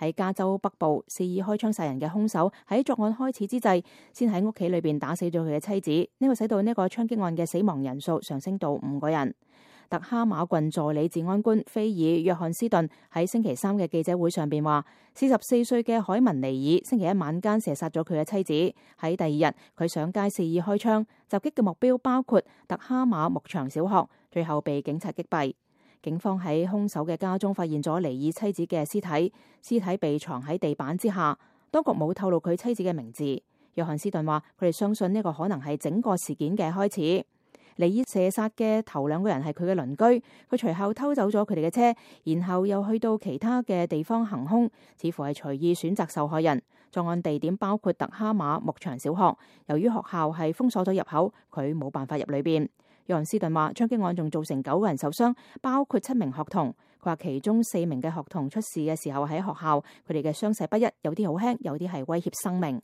喺加州北部肆意開槍殺人嘅兇手喺作案開始之際，先喺屋企裏邊打死咗佢嘅妻子，呢個使到呢個槍擊案嘅死亡人數上升到5個人。特哈馬郡助理治安官菲爾約翰斯頓喺星期三嘅記者會上邊話，44歲嘅海文尼爾星期一晚間射殺咗佢嘅妻子。喺第二日，佢上街肆意開槍，襲擊嘅目標包括特哈馬牧場小學，最後被警察擊斃。警方喺兇手嘅家中發現咗尼爾妻子嘅屍體，屍體被藏喺地板之下。當局冇透露佢妻子嘅名字。約翰斯頓話，佢哋相信呢個可能係整個事件嘅開始。尼爾射殺嘅頭2個人係佢嘅鄰居，佢隨後偷走咗佢哋嘅車，然後又去到其他嘅地方行兇，似乎係隨意選擇受害人。作案地點包括特哈馬牧場小學，由於學校係封鎖咗入口，佢冇辦法入裏邊。約翰斯頓話，槍擊案仲造成9個人受傷，包括7名學童。佢話其中4名嘅學童出事嘅時候喺學校，佢哋嘅傷勢不一，有啲好輕，有啲係威脅生命。